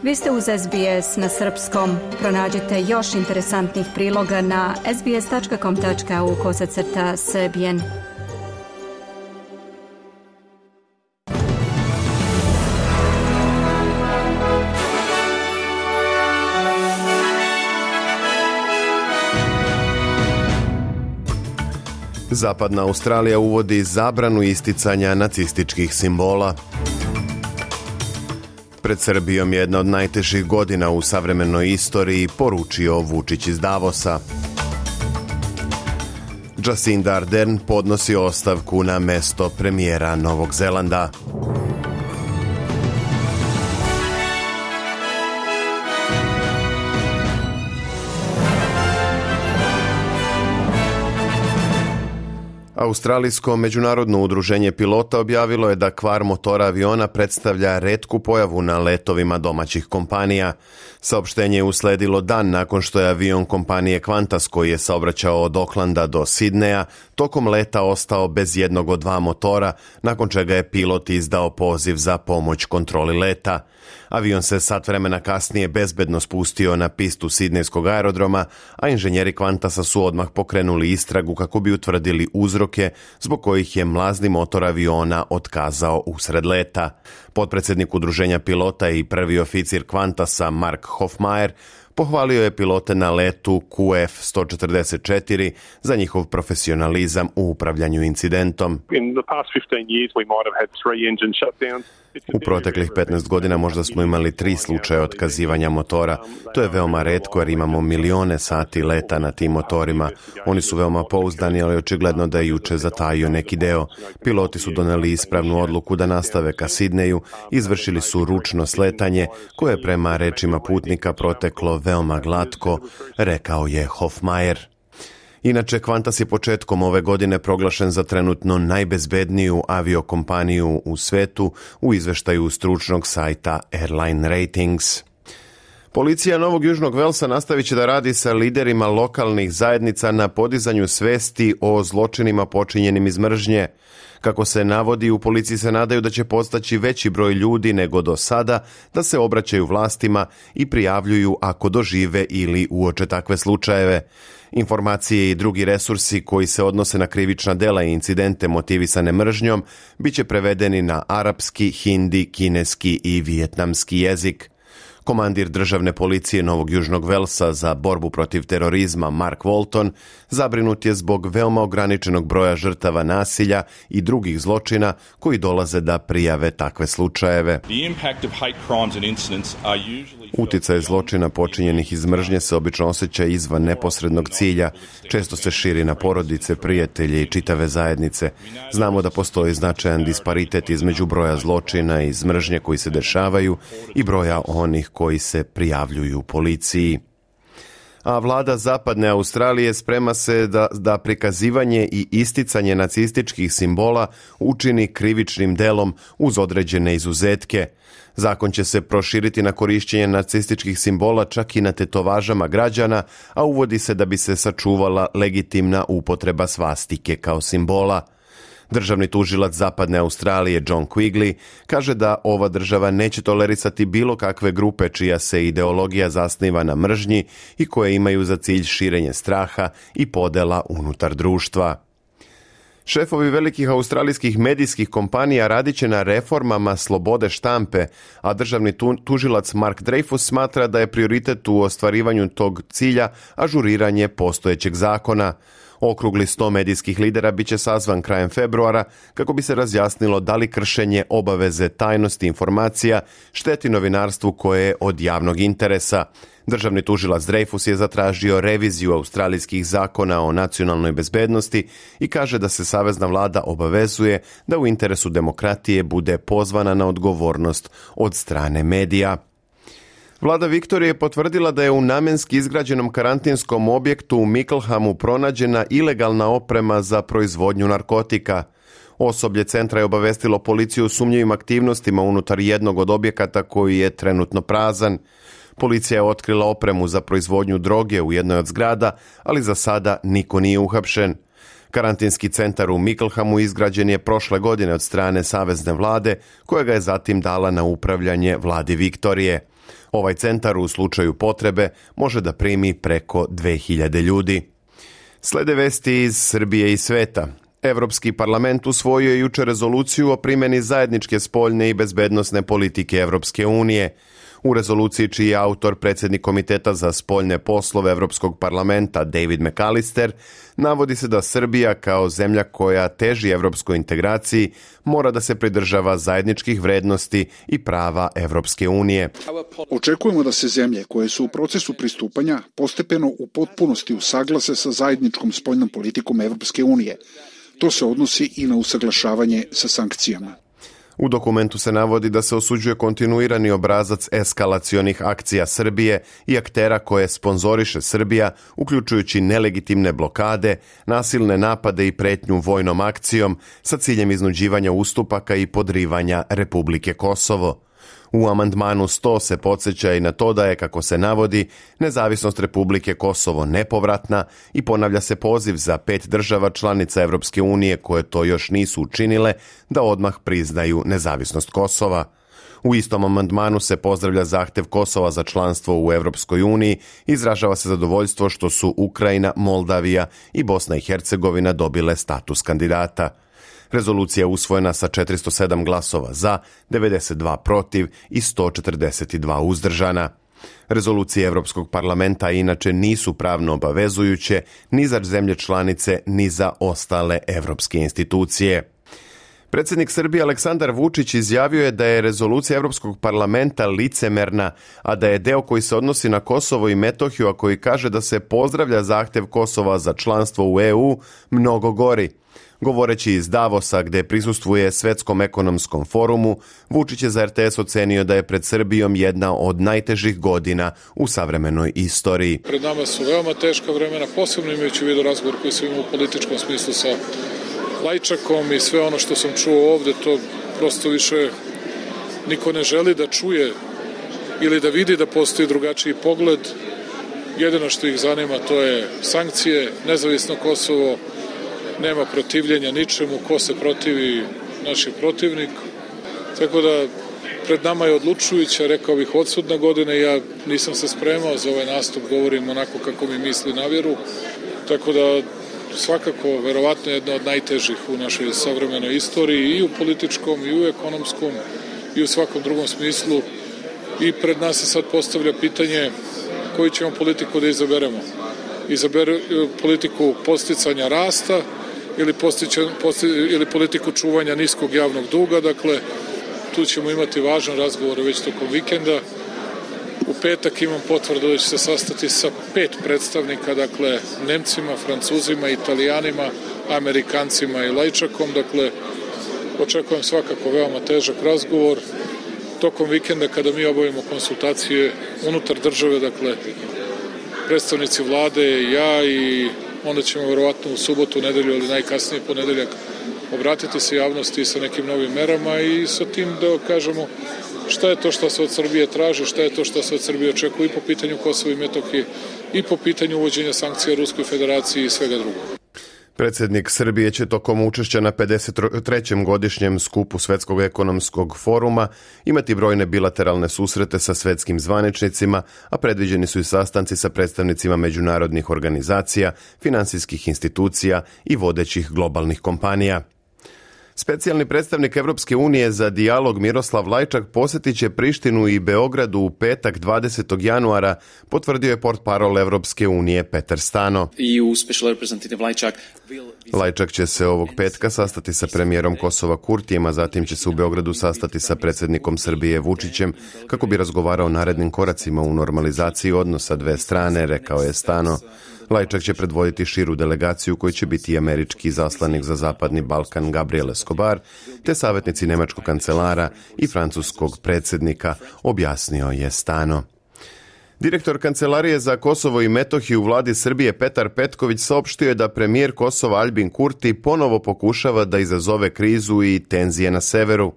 Vi ste uz SBS na srpskom. Pronađite još interesantnih priloga na sbs.com.au/srbijen. Zapadna Australija uvodi zabranu isticanja nacističkih simbola. Pred Srbijom jedna od najtežih godina u savremenoj istoriji, poručio Vučić iz Davosa. Jacinda Ardern podnosi ostavku na mesto premijera Novog Zelanda. Australijsko međunarodno udruženje pilota objavilo je da kvar motora aviona predstavlja retku pojavu na letovima domaćih kompanija. Saopštenje je usledilo dan nakon što je avion kompanije Qantas, koji je saobraćao od Aucklanda do Sidneja, tokom leta ostao bez jednog od dva motora, nakon čega je pilot izdao poziv za pomoć kontroli leta. Avion se sat vremena kasnije bezbedno spustio na pistu sidnejskog aerodroma, a inženjeri Qantasa su odmah pokrenuli istragu kako bi utvrdili uzroke zbog kojih je mlazni motor aviona otkazao usred leta. Potpredsjednik udruženja pilota i prvi oficir Qantasa Mark Hofmaier pohvalio je pilote na letu QF-144 za njihov profesionalizam u upravljanju incidentom. U proteklih 15 godina možda smo imali 3 slučaja otkazivanja motora. To je veoma retko jer imamo milione sati leta na tim motorima. Oni su veoma pouzdani, ali očigledno da je juče zatajio neki deo. Piloti su doneli ispravnu odluku da nastave ka Sidneju, izvršili su ručno sletanje koje je prema rečima putnika proteklo veoma glatko, rekao je Hofmaier. Inače, Qantas je početkom ove godine proglašen za trenutno najbezbedniju aviokompaniju u svetu u izveštaju stručnog sajta Airline Ratings. Policija Novog Južnog Velsa nastavit će da radi sa liderima lokalnih zajednica na podizanju svesti o zločinima počinjenim iz mržnje. Kako se navodi, u policiji se nadaju da će postaći veći broj ljudi nego do sada da se obraćaju vlastima i prijavljuju ako dožive ili uoče takve slučajeve. Informacije i drugi resursi koji se odnose na krivična dela i incidente motivisane mržnjom bit će prevedeni na arapski, hindi, kineski i vijetnamski jezik. Komandir državne policije Novog Južnog Velsa za borbu protiv terorizma Mark Walton zabrinut je zbog veoma ograničenog broja žrtava nasilja i drugih zločina koji dolaze da prijave takve slučajeve. Uticaj zločina počinjenih iz mržnje se obično osjeća izvan neposrednog cilja, često se širi na porodice, prijatelje i čitave zajednice. Znamo da postoji značajan disparitet između broja zločina iz mržnje koji se dešavaju i broja onih koji se prijavljuju policiji. A vlada Zapadne Australije sprema se da prikazivanje i isticanje nacističkih simbola učini krivičnim delom uz određene izuzetke. Zakon će se proširiti na korišćenje nacističkih simbola čak i na tetovažama građana, a uvodi se da bi se sačuvala legitimna upotreba svastike kao simbola. Državni tužilac Zapadne Australije John Quigley kaže da ova država neće tolerisati bilo kakve grupe čija se ideologija zasniva na mržnji i koje imaju za cilj širenje straha i podela unutar društva. Šefovi velikih australijskih medijskih kompanija radit će na reformama slobode štampe, a državni tužilac Mark Dreyfus smatra da je prioritet u ostvarivanju tog cilja ažuriranje postojećeg zakona. Okrugli 100 medijskih lidera biće sazvan krajem februara kako bi se razjasnilo da li kršenje obaveze tajnosti informacija šteti novinarstvu koje je od javnog interesa. Državni tužilac Dreyfus je zatražio reviziju australijskih zakona o nacionalnoj bezbednosti i kaže da se savezna vlada obavezuje da u interesu demokratije bude pozvana na odgovornost od strane medija. Vlada Viktorije je potvrdila da je u namenski izgrađenom karantinskom objektu u Mickleham pronađena ilegalna oprema za proizvodnju narkotika. Osoblje centra je obavestilo policiju o sumnjivim aktivnostima unutar jednog od objekata koji je trenutno prazan. Policija je otkrila opremu za proizvodnju droge u jednoj od zgrada, ali za sada niko nije uhapšen. Karantinski centar u Micklehamu izgrađen je prošle godine od strane savezne vlade, koja ga je zatim dala na upravljanje vladi Viktorije. Ovaj centar u slučaju potrebe može da primi preko 2000 ljudi. Slede vesti iz Srbije i sveta. Evropski parlament usvojio je juče rezoluciju o primjeni zajedničke spoljne i bezbednosne politike Evropske unije. U rezoluciji, čiji je autor predsjednik Komiteta za spoljne poslove Evropskog parlamenta David McAllister, navodi se da Srbija kao zemlja koja teži evropskoj integraciji mora da se pridržava zajedničkih vrednosti i prava Evropske unije. Očekujemo da se zemlje koje su u procesu pristupanja postepeno u potpunosti usaglase sa zajedničkom spoljnom politikom Evropske unije. To se odnosi i na usaglašavanje sa sankcijama. U dokumentu se navodi da se osuđuje kontinuirani obrazac eskalacionih akcija Srbije i aktera koje sponzoriše Srbija, uključujući nelegitimne blokade, nasilne napade i pretnju vojnom akcijom sa ciljem iznuđivanja ustupaka i podrivanja Republike Kosovo. U amandmanu 100 se podsjeća i na to da je, kako se navodi, nezavisnost Republike Kosovo nepovratna i ponavlja se poziv za 5 država članica Evropske unije koje to još nisu učinile da odmah priznaju nezavisnost Kosova. U istom amandmanu se pozdravlja zahtev Kosova za članstvo u Evropskoj uniji, izražava se zadovoljstvo što su Ukrajina, Moldavija i Bosna i Hercegovina dobile status kandidata. Rezolucija je usvojena sa 407 glasova za, 92 protiv i 142 uzdržana. Rezolucije Evropskog parlamenta inače nisu pravno obavezujuće ni za zemlje članice ni za ostale evropske institucije. Predsjednik Srbije Aleksandar Vučić izjavio je da je rezolucija Evropskog parlamenta licemerna, a da je deo koji se odnosi na Kosovo i Metohiju, a koji kaže da se pozdravlja zahtev Kosova za članstvo u EU, mnogo gori. Govoreći iz Davosa, gde prisustvuje Svetskom ekonomskom forumu, Vučić je za RTS ocenio da je pred Srbijom jedna od najtežih godina u savremenoj istoriji. Pred nama su veoma teška vremena, posebno imajući u vidu razgovor koji sam imao u političkom smislu sa Lajčakom i sve ono što sam čuo ovde, to prosto više niko ne želi da čuje ili da vidi da postoji drugačiji pogled. Jedino što ih zanima to je sankcije, nezavisno Kosovo, nema protivljenja ničemu, ko se protivi, naš je protivnik. Tako da pred nama je odlučujuća, rekao bih, odsudna godina. Ja nisam se spremao za ovaj nastup, govorim onako kako mi misli na vjeru. Tako da svakako, verovatno jedna od najtežih u našoj savremenoj istoriji i u političkom, i u ekonomskom, i u svakom drugom smislu. I pred nas se sad postavlja pitanje koju ćemo politiku da izaberemo. Politiku posticanja rasta ili politiku čuvanja niskog javnog duga. Dakle, tu ćemo imati važan razgovor već tokom vikenda. U petak imam potvrdu da će se sastati sa 5 predstavnika, dakle, Nemcima, Francuzima, Italijanima, Amerikancima i Lajčakom. Dakle, očekujem svakako veoma težak razgovor. Tokom vikenda, kada mi obavimo konsultacije unutar države, dakle, predstavnici vlade, ja, i onda ćemo verovatno u subotu, nedelju ili najkasnije ponedeljak obratiti se javnosti sa nekim novim merama i sa tim da kažemo šta je to što se od Srbije traži, šta je to što se od Srbije očekuje i po pitanju Kosova i Metohije i po pitanju uvođenja sankcija Ruskoj federaciji i svega drugog. Predsjednik Srbije će tokom učešća na 53. godišnjem skupu Svetskog ekonomskog foruma imati brojne bilateralne susrete sa svetskim zvaničnicima, a predviđeni su i sastanci sa predstavnicima međunarodnih organizacija, finansijskih institucija i vodećih globalnih kompanija. Specijalni predstavnik Evropske unije za dijalog Miroslav Lajčak posjetit će Prištinu i Beogradu u petak 20. januara, potvrdio je portparol Evropske unije Petar Stano. Lajčak će se ovog petka sastati sa premijerom Kosova Kurtijem, a zatim će se u Beogradu sastati sa predsjednikom Srbije Vučićem kako bi razgovarao o narednim koracima u normalizaciji odnosa dve strane, rekao je Stano. Lajčak će predvoditi širu delegaciju koji će biti američki zaslanik za Zapadni Balkan Gabriel Escobar, te savjetnici nemačkog kancelara i francuskog predsjednika, objasnio je Stano. Direktor Kancelarije za Kosovo i Metohiju u vladi Srbije Petar Petković saopštio je da premijer Kosova Albin Kurti ponovo pokušava da izazove krizu i tenzije na severu.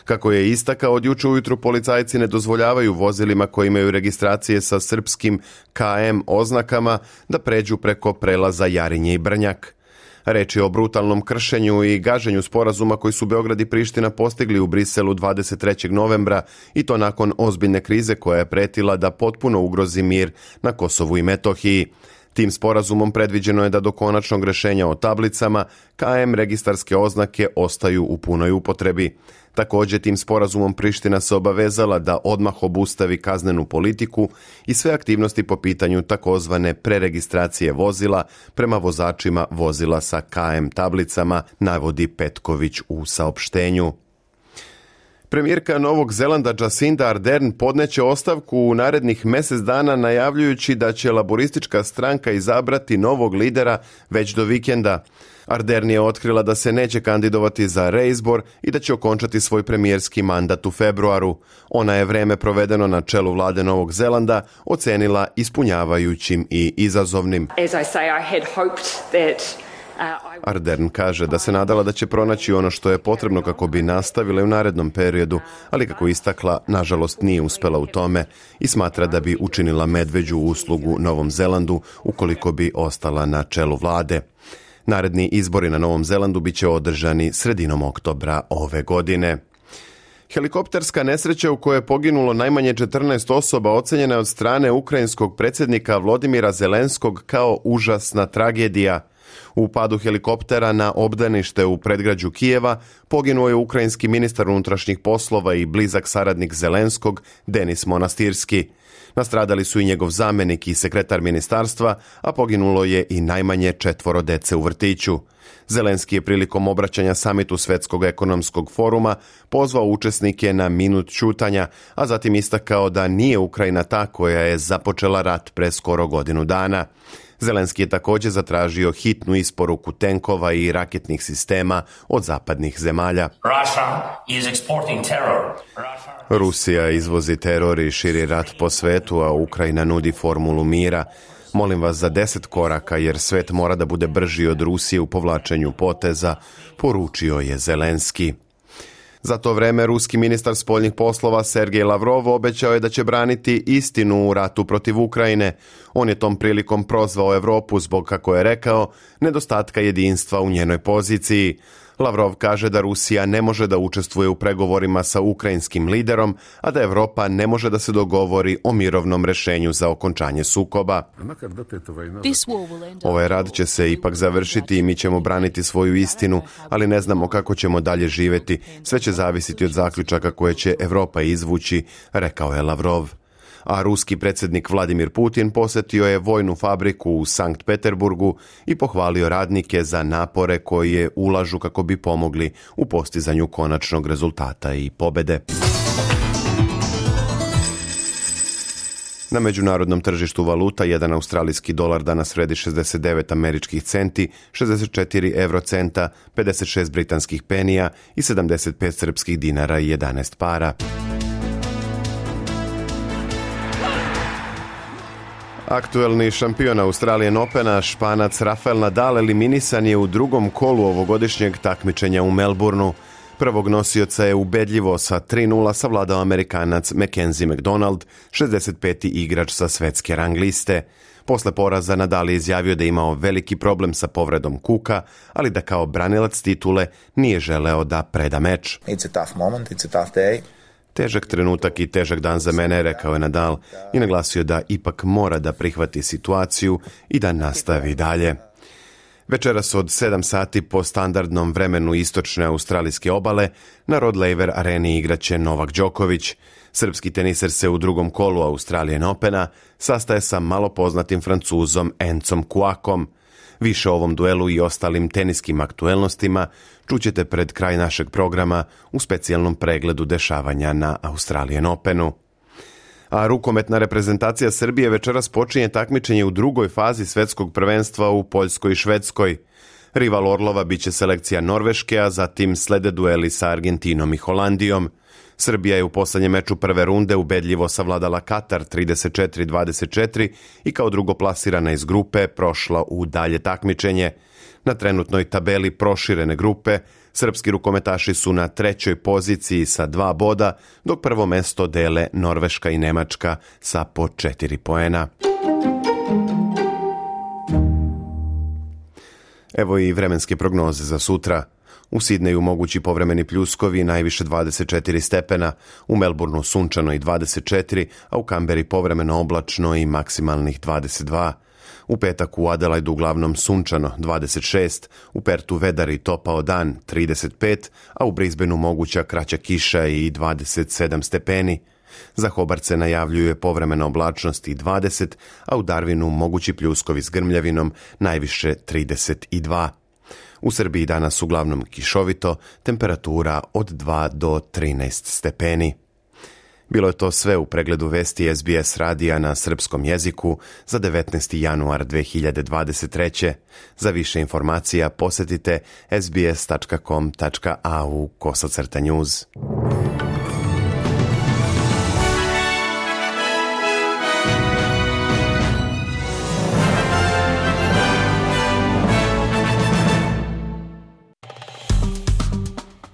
Kako je istakao, od juče ujutru policajci ne dozvoljavaju vozilima koji imaju registracije sa srpskim KM oznakama da pređu preko prelaza Jarinje i Brnjak. Reč je o brutalnom kršenju i gaženju sporazuma koji su Beograd i Priština postigli u Briselu 23. novembra i to nakon ozbiljne krize koja je pretila da potpuno ugrozi mir na Kosovu i Metohiji. Tim sporazumom predviđeno je da do konačnog rešenja o tablicama KM registarske oznake ostaju u punoj upotrebi. Također, tim sporazumom Priština se obavezala da odmah obustavi kaznenu politiku i sve aktivnosti po pitanju takozvane preregistracije vozila prema vozačima vozila sa KM tablicama, navodi Petković u saopštenju. Premijerka Novog Zelanda Jacinda Ardern podneće ostavku u narednih mjesec dana najavljujući da će laboristička stranka izabrati novog lidera već do vikenda. Ardern je otkrila da se neće kandidovati za reizbor i da će okončati svoj premijerski mandat u februaru. Ona je vreme provedeno na čelu vlade Novog Zelanda ocenila ispunjavajućim i izazovnim. Ardern kaže da se nadala da će pronaći ono što je potrebno kako bi nastavila u narednom periodu, ali kako istakla, nažalost nije uspela u tome i smatra da bi učinila medveđu uslugu Novom Zelandu ukoliko bi ostala na čelu vlade. Naredni izbori na Novom Zelandu bit će održani sredinom oktobra ove godine. Helikopterska nesreća u kojoj je poginulo najmanje 14 osoba ocenjena je od strane ukrajinskog predsjednika Volodymyra Zelenskog kao užasna tragedija. U padu helikoptera na obdanište u predgrađu Kijeva poginuo je ukrajinski ministar unutrašnjih poslova i blizak saradnik Zelenskog Denis Monastirski. Nastradali su i njegov zamjenik i sekretar ministarstva, a poginulo je i najmanje 4 dece u vrtiću. Zelenski je prilikom obraćanja samitu Svjetskog ekonomskog foruma pozvao učesnike na minut ćutanja, a zatim istakao da nije Ukrajina ta koja je započela rat pre skoro godinu dana. Zelenski je također zatražio hitnu isporuku tenkova i raketnih sistema od zapadnih zemalja. Rusija izvozi teror i širi rat po svetu, a Ukrajina nudi formulu mira. Molim vas za 10 koraka jer svet mora da bude brži od Rusije u povlačenju poteza, poručio je Zelenski. Za to vreme ruski ministar spoljnih poslova Sergej Lavrov obećao je da će braniti istinu u ratu protiv Ukrajine. On je tom prilikom prozvao Evropu zbog, kako je rekao, nedostatka jedinstva u njenoj poziciji. Lavrov kaže da Rusija ne može da učestvuje u pregovorima sa ukrajinskim liderom, a da Evropa ne može da se dogovori o mirovnom rešenju za okončanje sukoba. Ovaj rad će se ipak završiti i mi ćemo braniti svoju istinu, ali ne znamo kako ćemo dalje živjeti. Sve će zavisiti od zaključaka koje će Evropa izvući, rekao je Lavrov. A ruski predsjednik Vladimir Putin posjetio je vojnu fabriku u Sankt Peterburgu i pohvalio radnike za napore koje ulažu kako bi pomogli u postizanju konačnog rezultata i pobede. Na međunarodnom tržištu valuta jedan australijski dolar danas vredi 69 američkih centi, 64 eurocenta, 56 britanskih penija i 75 srpskih dinara i 11 para. Aktuelni šampion Australian Opena, Španac Rafael Nadal, eliminisan je u drugom kolu ovogodišnjeg takmičenja u Melbourneu. Prvog nosioca je ubedljivo sa 3:0 savladao Amerikanac Mackenzie McDonald, 65. igrač sa svetske rang liste. Posle poraza Nadal je izjavio da je imao veliki problem sa povredom kuka, ali da kao branilac titule nije želeo da preda meč. It's a tough moment, it's a tough day. Težak trenutak i težak dan za mene, rekao je Nadal i naglasio da ipak mora da prihvati situaciju i da nastavi dalje. Večeras od 7 sati po standardnom vremenu istočne australijske obale na Rod Laver areni igraće Novak Đoković. Srpski teniser se u drugom kolu Australian Opena sastaje sa malo poznatim Francuzom Encom Kuakom. Više o ovom duelu i ostalim teniskim aktuelnostima čućete pred kraj našeg programa u specijalnom pregledu dešavanja na Australian Openu. A rukometna reprezentacija Srbije večeras počinje takmičenje u drugoj fazi svetskog prvenstva u Poljskoj i Švedskoj. Rival Orlova biće selekcija Norveške, a zatim slede dueli sa Argentinom i Holandijom. Srbija je u poslednjem meču prve runde ubedljivo savladala Katar 34-24 i kao drugoplasirana iz grupe prošla u dalje takmičenje. Na trenutnoj tabeli proširene grupe srpski rukometaši su na 3. poziciji sa 2 boda, dok prvo mesto dele Norveška i Nemačka sa po 4 poena. Evo i vremenske prognoze za sutra. U Sidneju mogući povremeni pljuskovi, najviše 24 stepena, u Melbourneu sunčano i 24, a u Kamberi povremeno oblačno i maksimalnih 22. U petak u Adelaidu uglavnom sunčano 26, u Pertu vedar i topao dan 35, a u Brisbaneu moguća kraća kiša i 27 stepeni. Za Hobart se najavljuje povremena oblačnost i 20, a u Darwinu mogući pljuskovi s grmljavinom, najviše 32. U Srbiji danas uglavnom kišovito, temperatura od 2 do 13 stepeni. Bilo je to sve u pregledu vesti SBS radija na srpskom jeziku za 19. januar 2023. Za više informacija posjetite sbs.com.au/news.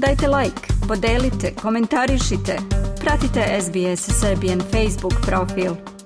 Dajte like, podelite, komentarišite. Pratite SBS Serbian Facebook profil.